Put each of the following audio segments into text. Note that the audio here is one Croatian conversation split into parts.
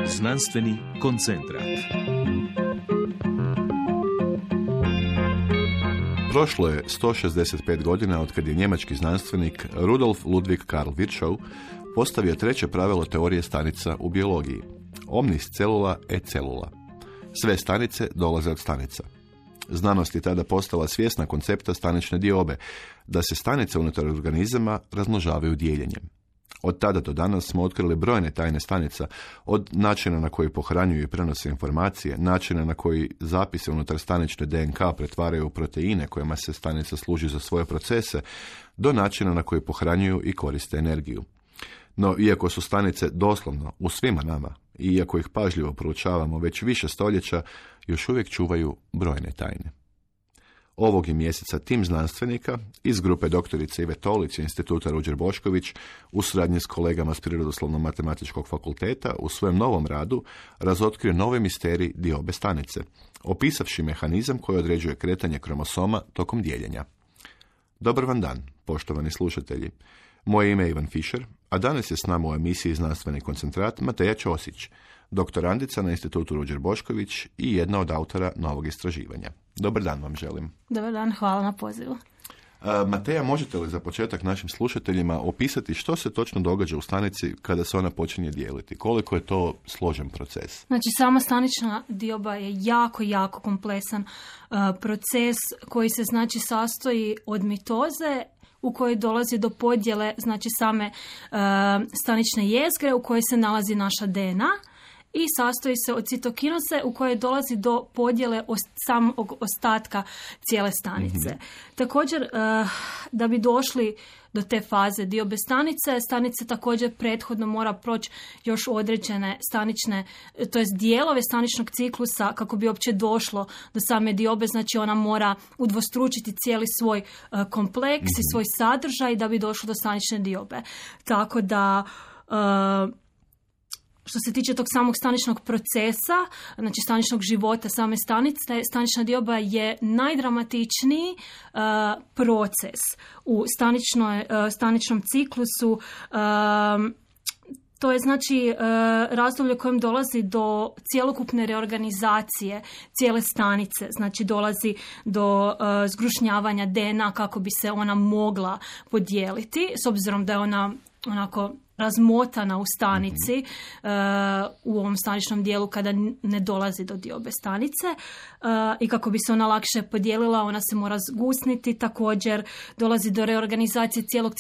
Znanstveni koncentrat. Prošlo je 165 godina od kad je njemački znanstvenik Rudolf Ludwig Karl Virchow postavio treće pravilo teorije stanica u biologiji. Omnis cellula et cellula. Sve stanice dolaze od stanica. Znanost je tada postala svjesna koncepta stanične diobe, da se stanice unutar organizama razmnožavaju dijeljenjem. Od tada do danas smo otkrili brojne tajne stanica, od načina na koji pohranjuju i prenose informacije, načina na koji zapise unutar stanične DNK pretvaraju u proteine kojima se stanica služi za svoje procese, do načina na koji pohranjuju i koriste energiju. No, iako su stanice doslovno u svima nama, i iako ih pažljivo proučavamo već više stoljeća, još uvijek čuvaju brojne tajne. Ovog je mjeseca tim znanstvenika iz grupe doktorice Ive Tolić i Instituta Ruđer Bošković u suradnji s kolegama s Prirodoslovno-matematičkog fakulteta u svojem novom radu razotkrio nove misterij diobe stanice, opisavši mehanizam koji određuje kretanje kromosoma tokom dijeljenja. Dobar vam dan, poštovani slušatelji. Moje ime je Ivan Fišer, a danas je s nama u emisiji Znanstveni koncentrat Mateja Ćosić, doktorandica na Institutu Ruđer Bošković i jedna od autora novog istraživanja. Dobar dan vam želim. Dobar dan, hvala na pozivu. Mateja, možete li za početak našim slušateljima opisati što se točno događa u stanici kada se ona počinje dijeliti? Koliko je to složen proces? Znači, sama stanična dioba je jako kompleksan proces koji se sastoji od mitoze u kojoj dolazi do podjele same stanične jezgre u kojoj se nalazi naša DNA i sastoji se od citokinoze u kojoj dolazi do podjele samog ostatka cijele stanice. Mm-hmm. Također, da bi došli do te faze diobe stanice također prethodno mora proći još određene stanične, to jest dijelove staničnog ciklusa kako bi uopće došlo do same diobe, znači ona mora udvostručiti cijeli svoj kompleks i svoj sadržaj da bi došlo do stanične diobe. Tako da što se tiče tog samog staničnog procesa, znači staničnog života same stanice, stanična dioba je najdramatičniji proces u staničnom ciklusu. To je znači razdoblje u kojem dolazi do cjelokupne reorganizacije cijele stanice, znači dolazi do zgrušnjavanja DNA kako bi se ona mogla podijeliti, s obzirom da je ona onako razmotana u stanici, u ovom staničnom dijelu kada ne dolazi do diobe stanice i kako bi se ona lakše podijelila, ona se mora zgusniti. Također dolazi do reorganizacije cijelog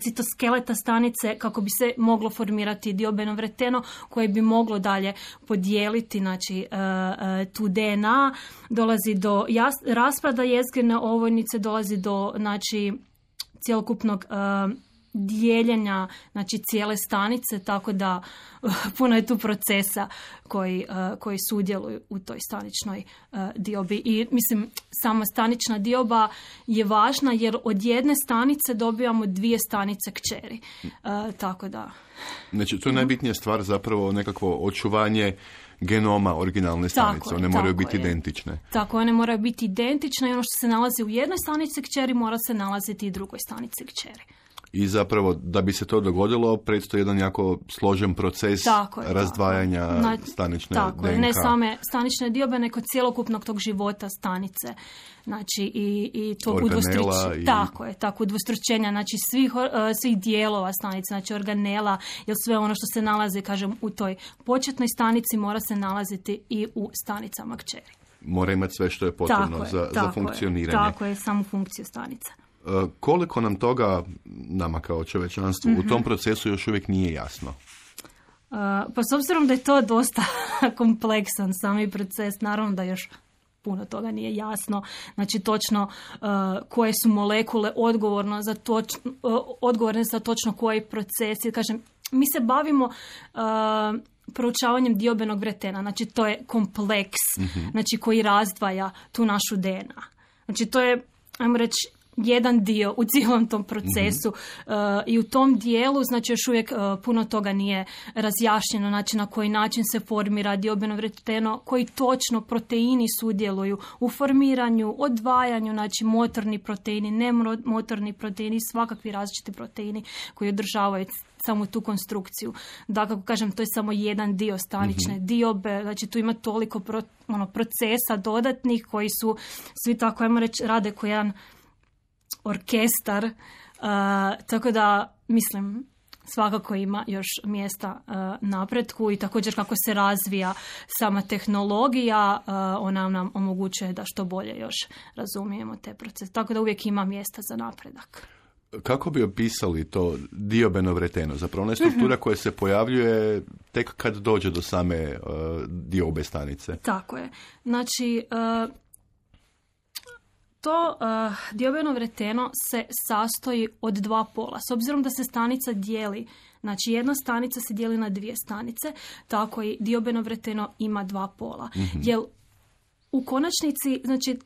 citoskeleta stanice kako bi se moglo formirati diobeno vreteno koje bi moglo dalje podijeliti znači, tu DNA. Dolazi do raspada jezgrene ovojnice, dolazi do znači, cjelokupnog dijeljenja znači cijele stanice, tako da puno je tu procesa koji sudjeluju u toj staničnoj diobi. I mislim, sama stanična dioba je važna jer od jedne stanice dobivamo 2 stanice kćeri. Tako da. Znači, to je najbitnija stvar zapravo nekakvo očuvanje genoma originalne stanice. One moraju biti identične. Tako, one moraju biti identične i ono što se nalazi u jednoj stanici kćeri mora se nalaziti i u drugoj stanici kćeri. I zapravo, da bi se to dogodilo, predstoji jedan jako složen proces razdvajanja stanične DNK. Ne same stanične diobe, nego cjelokupnog tog života stanice. Znači, i to udvostručenja. Tako, udvostručenja, znači svih dijelova stanice, znači organela, jer sve ono što se nalazi, kažem, u toj početnoj stanici mora se nalaziti i u stanicama kćeri. Mora imati sve što je potrebno za funkcioniranje. Tako je, samu funkciju stanice. Koliko nam toga, nama kao čovječanstvu, u tom procesu još uvijek nije jasno? Pa s obzirom da je to dosta kompleksan sami proces, naravno da još puno toga nije jasno. Znači točno koje su molekule odgovorne za točno koji procesi. Kažem, mi se bavimo proučavanjem diobenog vretena. Znači to je kompleks znači, koji razdvaja tu našu DNA. Znači to je, ajmo reći, jedan dio u cijelom tom procesu i u tom dijelu, znači još uvijek puno toga nije razjašnjeno, znači na koji način se formira diobeno vreteno, koji točno proteini sudjeluju u formiranju, odvajanju, znači motorni proteini, nemotorni proteini, svakakvi različiti proteini koji održavaju samo tu konstrukciju. Da, kako kažem, to je samo jedan dio stanične diobe, znači tu ima toliko procesa dodatnih koji su svi tako, ajmo reći, rade kao jedan orkestar, tako da mislim svakako ima još mjesta napretku i također kako se razvija sama tehnologija, ona nam omogućuje da što bolje još razumijemo te procese. Tako da uvijek ima mjesta za napredak. Kako bi opisali to diobeno vreteno? Zapravo ona je struktura koja se pojavljuje tek kad dođe do same diobe stanice. Tako je. Znači, to diobeno vreteno se sastoji od dva pola. S obzirom da se stanica dijeli, znači jedna stanica se dijeli na dvije stanice, tako i diobeno vreteno ima dva pola. Jer u konačnici, znači,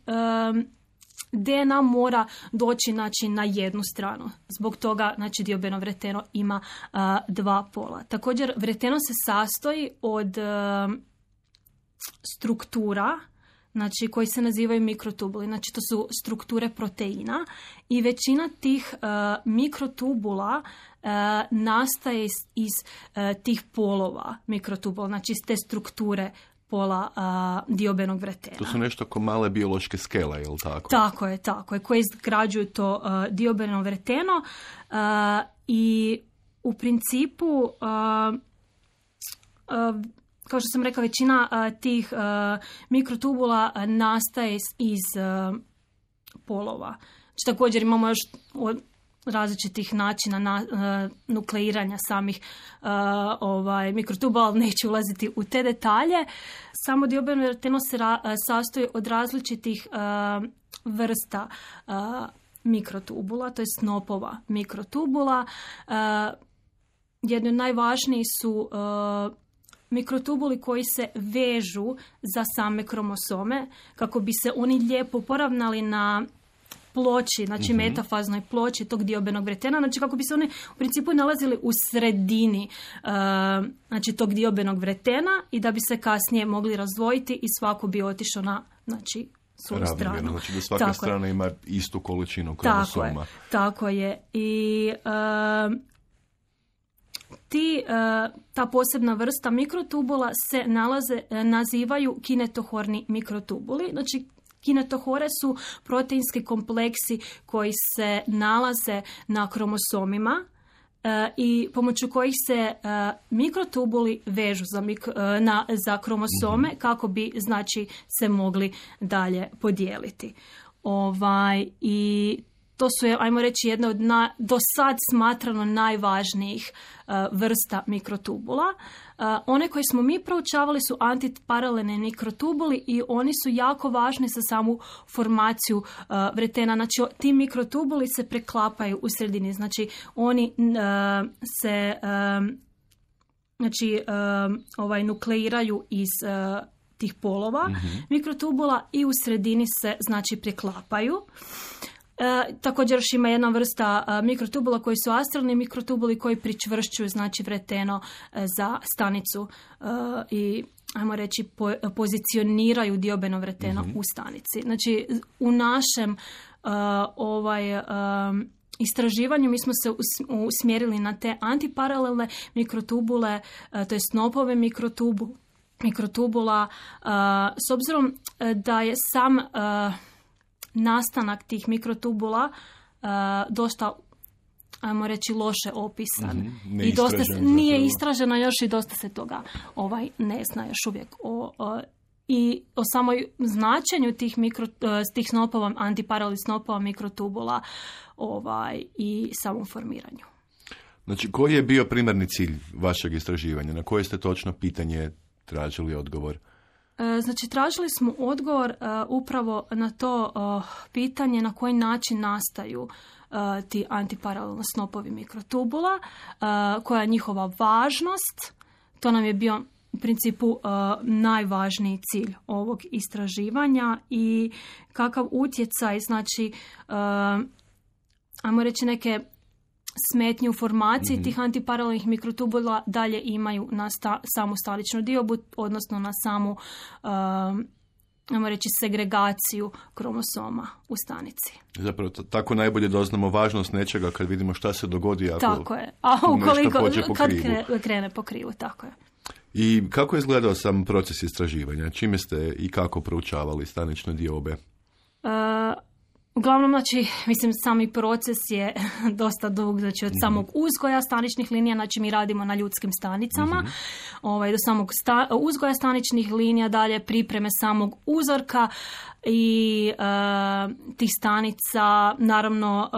DNA mora doći, znači, na jednu stranu. Zbog toga, znači, diobeno vreteno ima dva pola. Također, vreteno se sastoji od struktura, znači, koji se nazivaju mikrotubuli. Znači, to su strukture proteina i većina tih mikrotubula nastaje iz tih polova mikrotubula, znači iz te strukture pola diobenog vretena. To su nešto ko male biološke skele, je li tako? Tako je, koje izgrađuju to diobeno vreteno i u principu kao što sam rekla, većina tih mikrotubula nastaje iz polova. Znači, također imamo još različitih načina nukleiranja samih mikrotubula, ali neću ulaziti u te detalje. Samo diobeno vreteno se sastoji od različitih vrsta mikrotubula, to je snopova mikrotubula. Jedni od najvažnijih su mikrotubuli koji se vežu za same kromosome kako bi se oni lijepo poravnali na ploči, znači metafaznoj ploči tog diobenog vretena, znači kako bi se oni u principu nalazili u sredini znači tog diobenog vretena i da bi se kasnije mogli razdvojiti i svako bi otišao na, znači, svoju stranu. Znači da svaka strana ima istu količinu kromosoma. Tako je. I ta posebna vrsta mikrotubula se nazivaju kinetohorni mikrotubuli. Znači, kinetohore su proteinski kompleksi koji se nalaze na kromosomima i pomoću kojih se mikrotubuli vežu za kromosome kako bi, znači, se mogli dalje podijeliti. I to su, ajmo reći, jedna od do sad smatrano najvažnijih vrsta mikrotubula. One koje smo mi proučavali su antiparalelni mikrotubuli i oni su jako važni za samu formaciju vretena. Znači, ti mikrotubuli se preklapaju u sredini. Znači, oni se nukleiraju iz tih polova mikrotubula i u sredini se, znači, preklapaju. Također još ima jedna vrsta mikrotubula koji su astralni mikrotubuli koji pričvršćuju, znači, vreteno za stanicu i, ajmo reći, pozicioniraju diobeno vreteno u stanici. Znači, u našem istraživanju mi smo se usmjerili na te antiparalelne mikrotubule, to je snopove mikrotubula, s obzirom da je sam nastanak tih mikrotubula dosta, ajmo reći, loše opisan. I dosta nije istraženo još i dosta se toga ne zna još uvijek i o samoj značenju tih snopova, antiparalelnih snopova mikrotubula i samom formiranju. Znači, koji je bio primarni cilj vašeg istraživanja? Na koje ste točno pitanje tražili odgovor? Znači, tražili smo odgovor upravo na to pitanje na koji način nastaju ti antiparalelno snopovi mikrotubula, koja je njihova važnost. To nam je bio u principu najvažniji cilj ovog istraživanja i kakav utjecaj, znači, ajmo reći, neke smetnje u formaciji tih antiparalelnih mikrotubula dalje imaju na samu staničnu diobu, odnosno na samu, ajmo reći, segregaciju kromosoma u stanici. Zapravo tako najbolje doznamo važnost nečega kad vidimo šta se dogodi ako tako je. A ukoliko kad krene po krivu, tako je. I kako je izgledao sam proces istraživanja? Čime ste i kako proučavali stanične diobe? Uglavnom, znači, mislim, sami proces je dosta dug, znači od samog uzgoja staničnih linija, znači mi radimo na ljudskim stanicama, do samog uzgoja staničnih linija, dalje pripreme samog uzorka i tih stanica, naravno,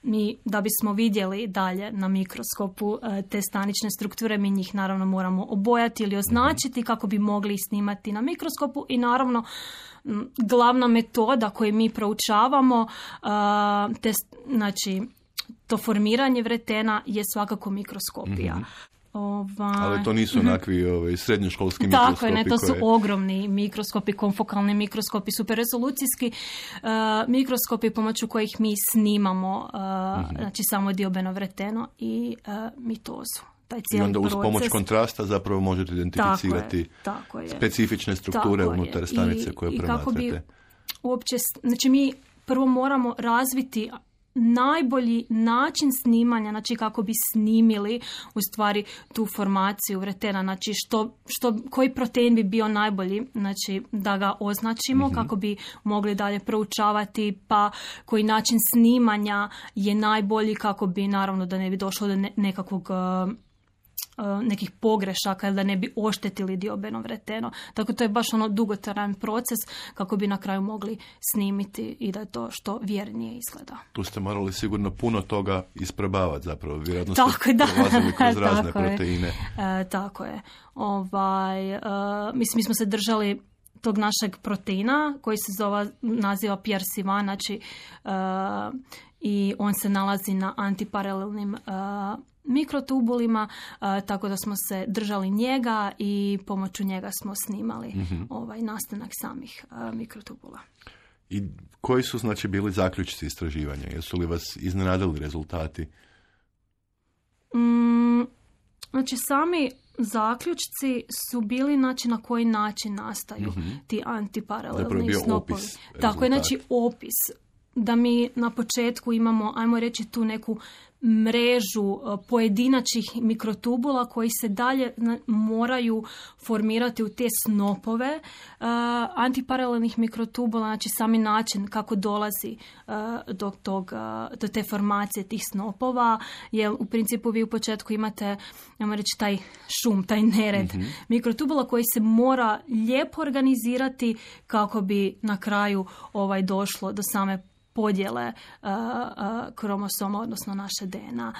mi da bismo vidjeli dalje na mikroskopu te stanične strukture, mi njih naravno moramo obojati ili označiti kako bi mogli snimati na mikroskopu i naravno glavna metoda koju mi proučavamo, znači to formiranje vretena je svakako mikroskopija. Ali to nisu onakvi srednjoškolski mikroskopi. Tako je, ne, to su ogromni mikroskopi, konfokalni mikroskopi, superrezolucijski mikroskopi pomoću kojih mi snimamo znači samo diobeno vreteno i mitozu. I onda uz pomoć kontrasta zapravo možete identificirati tako je. Specifične strukture unutar stanice koje promatrate. I kako bi uopće, znači mi prvo moramo razviti najbolji način snimanja, znači kako bi snimili u stvari tu formaciju vretena, znači koji protein bi bio najbolji, znači da ga označimo kako bi mogli dalje proučavati, pa koji način snimanja je najbolji kako bi naravno da ne bi došlo do nekih pogrešaka, da ne bi oštetili diobeno vreteno. Tako to je baš dugotrajan proces kako bi na kraju mogli snimiti i da je to što vjernije izgleda. Tu ste morali sigurno puno toga isprobavati zapravo. Vjerojatno ste prolazili kroz razne proteine. Tako je. Mi smo se držali tog našeg proteina koji se naziva PRC1, znači i on se nalazi na antiparalelnim mikrotubulima, tako da smo se držali njega i pomoću njega smo snimali nastanak samih mikrotubula. I koji su znači bili zaključci istraživanja? Jesu li vas iznenadili rezultati? Znači sami zaključci su bili znači na koji način nastaju ti antiparalelni snopovi. Tako je, znači opis. Da mi na početku imamo, ajmo reći, tu neku mrežu pojedinačnih mikrotubula koji se dalje moraju formirati u te snopove antiparalelnih mikrotubula, znači sami način kako dolazi do te formacije tih snopova, jer u principu vi u početku imate, ajmo reći, taj šum, taj nered mikrotubula koji se mora lijepo organizirati kako bi na kraju došlo do same podjele kromosoma, odnosno naše DNA.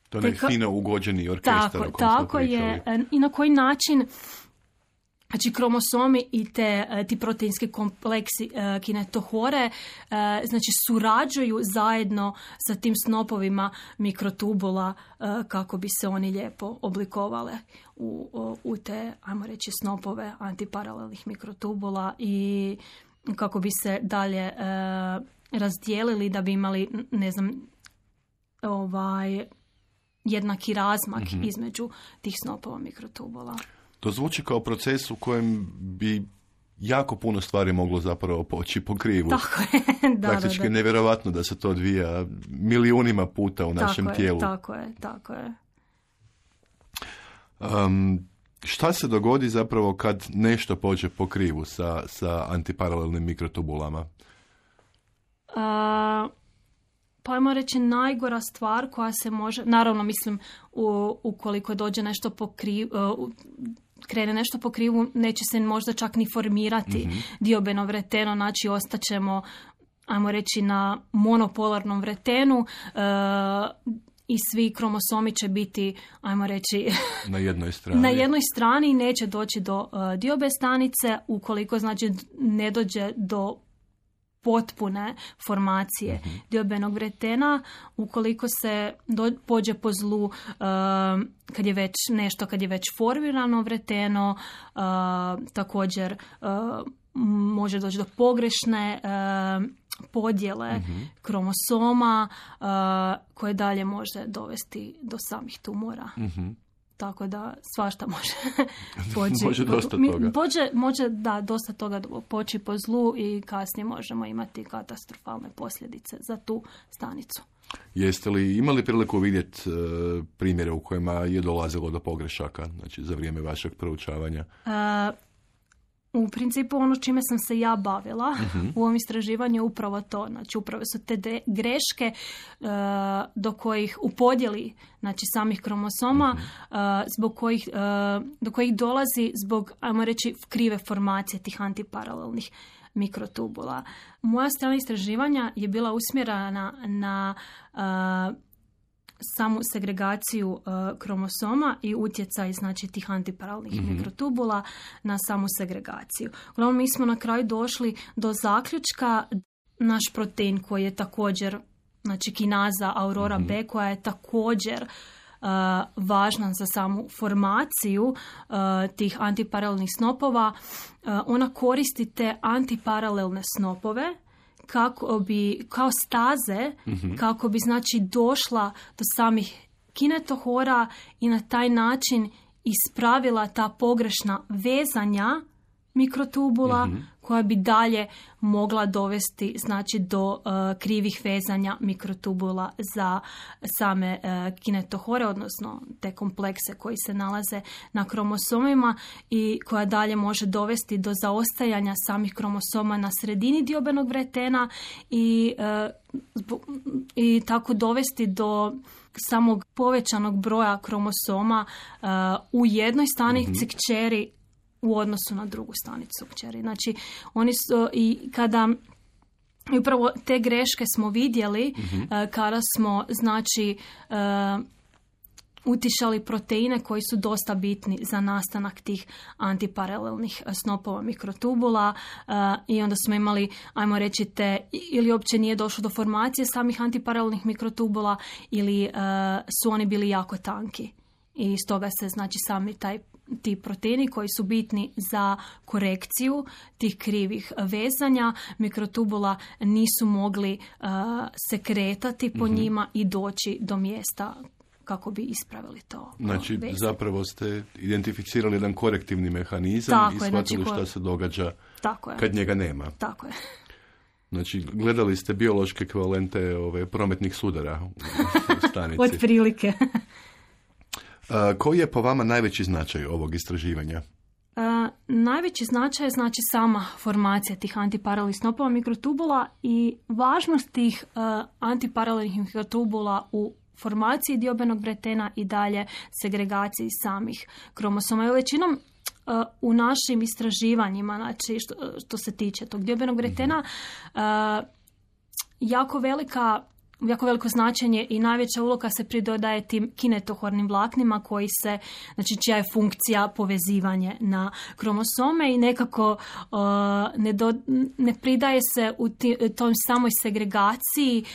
To je fino ugođeni orkestar. Tako je. I na koji način znači kromosomi i ti proteinski kompleksi kinetohore znači surađuju zajedno sa tim snopovima mikrotubula kako bi se oni lijepo oblikovale u te, ajmo reći, snopove antiparalelnih mikrotubula i kako bi se dalje razdijelili da bi imali, ne znam, jednaki razmak između tih snopova mikrotubula. To zvuči kao proces u kojem bi jako puno stvari moglo zapravo poći po krivu. Tako je. Praktički nevjerovatno da se to odvija milijunima puta u našem tijelu. Tako je. Šta se dogodi zapravo kad nešto pođe po krivu sa antiparalelnim mikrotubulama? Pa ajmo reći najgora stvar koja se može, naravno mislim ukoliko dođe nešto po krivu, krene nešto po krivu, neće se možda čak ni formirati diobeno vreteno, znači ostaćemo, ajmo reći, na monopolarnom vretenu i svi kromosomi će biti, ajmo reći, na jednoj strani. Na jednoj strani neće doći do diobe stanice ukoliko znači ne dođe do potpune formacije diobenog vretena, ukoliko se pođe po zlu kad je već formirano vreteno, također može doći do pogrešne podjele kromosoma koje dalje može dovesti do samih tumora. Tako da svašta može poći. Može dosta toga. Može dosta toga poći po zlu i kasnije možemo imati katastrofalne posljedice za tu stanicu. Jeste li imali priliku vidjeti primjere u kojima je dolazilo do pogrešaka, znači za vrijeme vašeg proučavanja? U principu ono čime sam se ja bavila u ovom istraživanju je upravo to. Znači upravo su te greške do kojih u podjeli znači samih kromosoma do kojih dolazi zbog, ajmo reći, krive formacije tih antiparalelnih mikrotubula. Moja strana istraživanja je bila usmjerena na samu segregaciju kromosoma i utjecaj znači tih antiparalelnih mikrotubula na samu segregaciju. Uglavnom mi smo na kraju došli do zaključka naš protein koji je također znači kinaza Aurora B koja je također važna za samu formaciju tih antiparalelnih snopova. Ona koristi te antiparalelne snopove kako bi, kao staze, kako bi znači došla do samih kinetohora i na taj način ispravila ta pogrešna vezanja mikrotubula koja bi dalje mogla dovesti znači do krivih vezanja mikrotubula za same kinetohore, odnosno te komplekse koji se nalaze na kromosomima i koja dalje može dovesti do zaostajanja samih kromosoma na sredini diobenog vretena i tako dovesti do samog povećanog broja kromosoma u jednoj stanici kćeri u odnosu na drugu stanicu kćeri. Znači, oni su i upravo te greške smo vidjeli kada smo, znači, utišali proteine koji su dosta bitni za nastanak tih antiparalelnih snopova mikrotubula i onda smo imali, ajmo reći, ili uopće nije došlo do formacije samih antiparalelnih mikrotubula ili su oni bili jako tanki. I stoga se, znači, sami ti proteini koji su bitni za korekciju tih krivih vezanja mikrotubula nisu mogli se kretati po njima i doći do mjesta kako bi ispravili to. Znači, zapravo ste identificirali jedan korektivni mehanizam i shvatili šta se događa kad njega nema. Tako je. Znači, gledali ste biološke ekvivalente prometnih sudara u stanici. Od prilike. Koji je po vama najveći značaj ovog istraživanja? Najveći značaj je znači sama formacija tih antiparalelnih snopova mikrotubula i važnost tih antiparalelnih mikrotubula u formaciji diobenog vretena i dalje segregaciji samih kromosoma. Većinom u našim istraživanjima, znači što se tiče tog diobenog vretena, jako veliko značenje i najveća uloga se pridodaje tim kinetohornim vlaknima koji se, znači čija je funkcija povezivanje na kromosome i nekako ne pridaje se u tom samoj segregaciji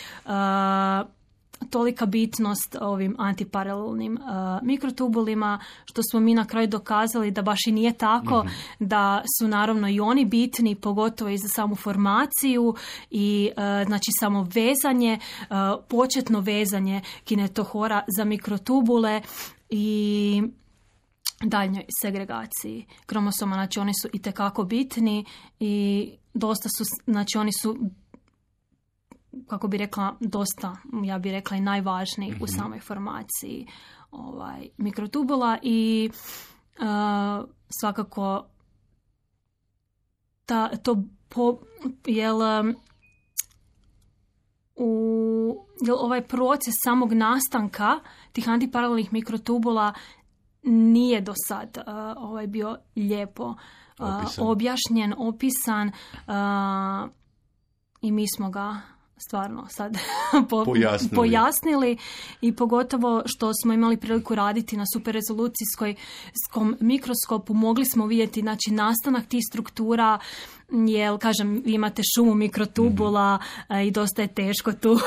tolika bitnost ovim antiparalelnim mikrotubulima, što smo mi na kraju dokazali da baš i nije tako, da su naravno i oni bitni, pogotovo i za samu formaciju i znači samo vezanje, početno vezanje kinetohora za mikrotubule i daljnjoj segregaciji kromosoma. Znači oni su itekako bitni i dosta su, znači oni su, kako bi rekla, dosta, ja bi rekla, i najvažniji u samoj formaciji mikrotubula i svakako ovaj proces samog nastanka tih antiparalelnih mikrotubula nije do sad bio lijepo objašnjen, opisan i mi smo ga stvarno sad pojasnili i pogotovo što smo imali priliku raditi na superrezolucijskom mikroskopu, mogli smo vidjeti, znači, nastanak tih struktura, jer, kažem, vi imate šumu mikrotubula i dosta je teško tu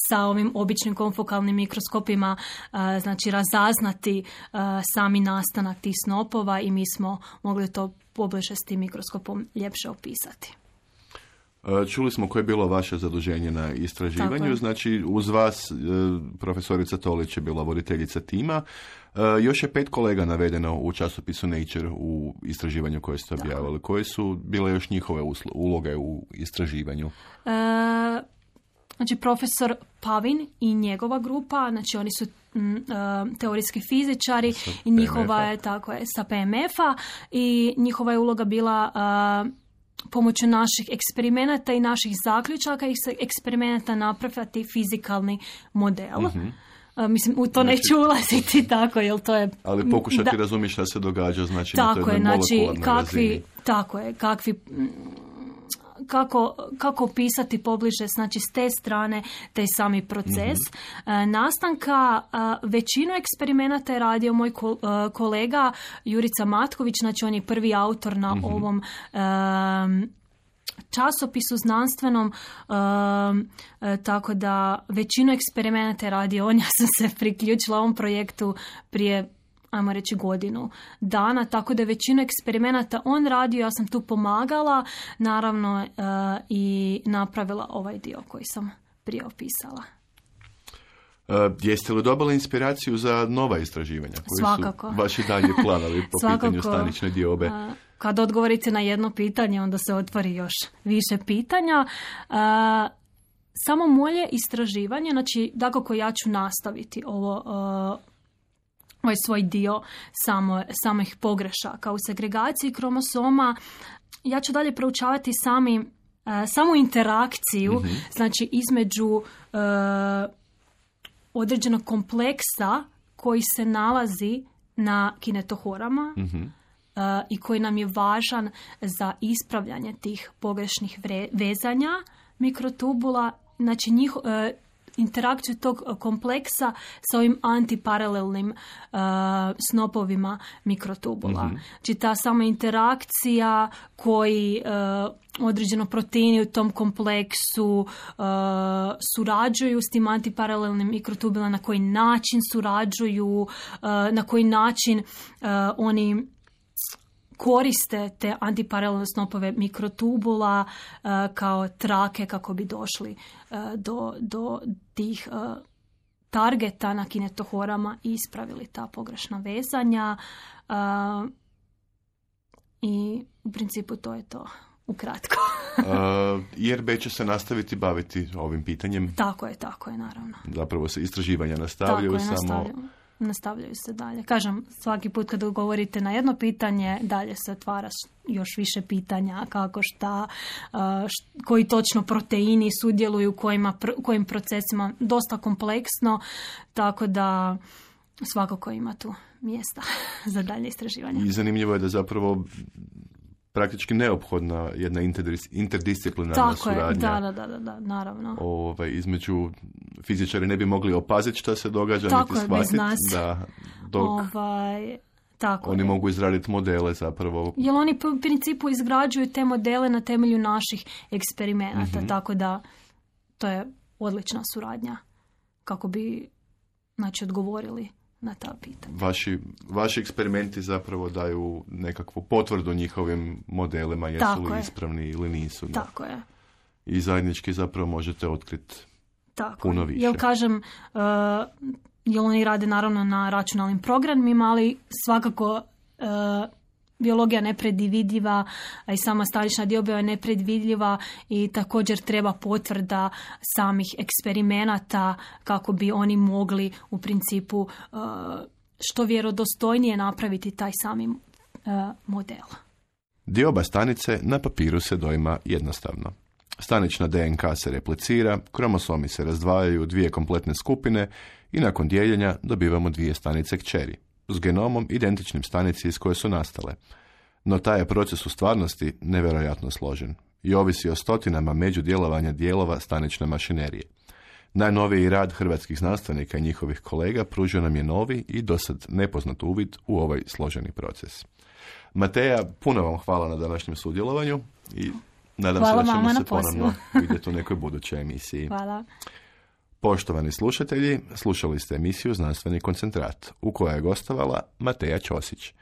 sa ovim običnim konfokalnim mikroskopima znači razaznati sami nastanak tih snopova i mi smo mogli to pobliže s tim mikroskopom ljepše opisati. Čuli smo koje je bilo vaše zaduženje na istraživanju, znači uz vas profesorica Tolić je bila voditeljica tima. Još je 5 kolega navedeno u časopisu Nature u istraživanju koje ste objavili. Koje su bile još njihove uloge u istraživanju? Znači, profesor Pavin i njegova grupa, znači oni su teorijski fizičari i njihova je, tako je, sa PMF-a i njihova je uloga bila pomoću naših eksperimenata i naših zaključaka i eksperimenata napraviti fizikalni model. Mislim, u to neću ulaziti tako, jer to je... Ali pokušati razumjeti šta se događa, znači na toj molekularnoj razini. Tako je, kako opisati pobliže, znači s te strane taj sami proces nastanka. Većinu eksperimenata je radio moj kolega Jurica Matković, znači on je prvi autor na ovom časopisu znanstvenom, tako da većinu eksperimenata je radio on. Ja sam se priključila ovom projektu prije, ajmo reći, godinu dana, tako da je većinu eksperimenata on radio, ja sam tu pomagala, naravno, i napravila ovaj dio koji sam prije opisala. Jeste li dobili inspiraciju za nova istraživanja? Koji Svakako. Su vaši dalje planovi po pitanju stanične diobe? Kad odgovorite na jedno pitanje, onda se otvori još više pitanja. Samo moje istraživanje, znači, dakako ja ću nastaviti ovaj svoj dio samih pogrešaka u segregaciji kromosoma. Ja ću dalje proučavati samu interakciju, znači između određenog kompleksa koji se nalazi na kinetohorama i koji nam je važan za ispravljanje tih pogrešnih vezanja mikrotubula, znači interakciju tog kompleksa sa ovim antiparalelnim snopovima mikrotubula. Znači ta sama interakcija koji određeno proteini u tom kompleksu surađuju s tim antiparalelnim mikrotubulama, na koji način surađuju, na koji način oni koriste te antiparalelne snopove mikrotubula kao trake kako bi došli do tih targeta na kinetohorama i ispravili ta pogrešna vezanja. I u principu to je to ukratko. IRB će se nastaviti baviti ovim pitanjem? Tako je, naravno. Zapravo se istraživanja nastavljaju, nastavljaju se dalje. Kažem, svaki put kad govorite na jedno pitanje, dalje se otvara još više pitanja, kako, šta, koji točno proteini sudjeluju u kojim procesima, dosta kompleksno, tako da svakako ima tu mjesta za dalje istraživanje. I zanimljivo je da zapravo praktički neophodna jedna interdisciplinarna suradnja. Da, naravno. Između fizičari ne bi mogli opaziti šta se događa, tako niti shvatiti da dok tako oni mogu izraditi modele zapravo. Jer oni u principu izgrađuju te modele na temelju naših eksperimenata, tako da to je odlična suradnja kako bi, znači, odgovorili na ta pitanja. Vaši eksperimenti zapravo daju nekakvu potvrdu njihovim modelima, jesu li ispravni ili nisu. Tako je. I zajednički zapravo možete otkriti puno više. Jel kažem, jel oni rade naravno na računalnim programima, ali svakako biologija nepredvidljiva, a i sama stanična dioba je nepredvidljiva i također treba potvrda samih eksperimenata kako bi oni mogli u principu što vjerodostojnije napraviti taj sami model. Dioba stanice na papiru se doima jednostavno. Stanična DNK se replicira, kromosomi se razdvajaju u 2 kompletne skupine i nakon dijeljenja dobivamo 2 stanice kćeri, s genomom identičnim stanici iz koje su nastale. No taj je proces u stvarnosti nevjerojatno složen i ovisi o stotinama međudjelovanja dijelova stanične mašinerije. Najnoviji rad hrvatskih znanstvenika i njihovih kolega pružio nam je novi i dosad nepoznat uvid u ovaj složeni proces. Mateja, puno vam hvala na današnjem sudjelovanju i nadam se da ćemo se ponovno vidjeti u nekoj budućoj emisiji. Hvala. Poštovani slušatelji, slušali ste emisiju Znanstveni koncentrat, u kojoj je gostovala Mateja Ćosić.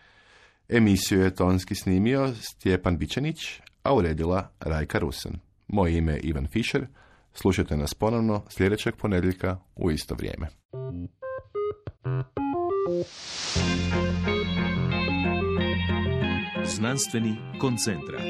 Emisiju je tonski snimio Stjepan Bičanić, a uredila Rajka Rusen. Moje ime je Ivan Fischer. Slušajte nas ponovno sljedećeg ponedjeljka u isto vrijeme. Znanstveni koncentrat.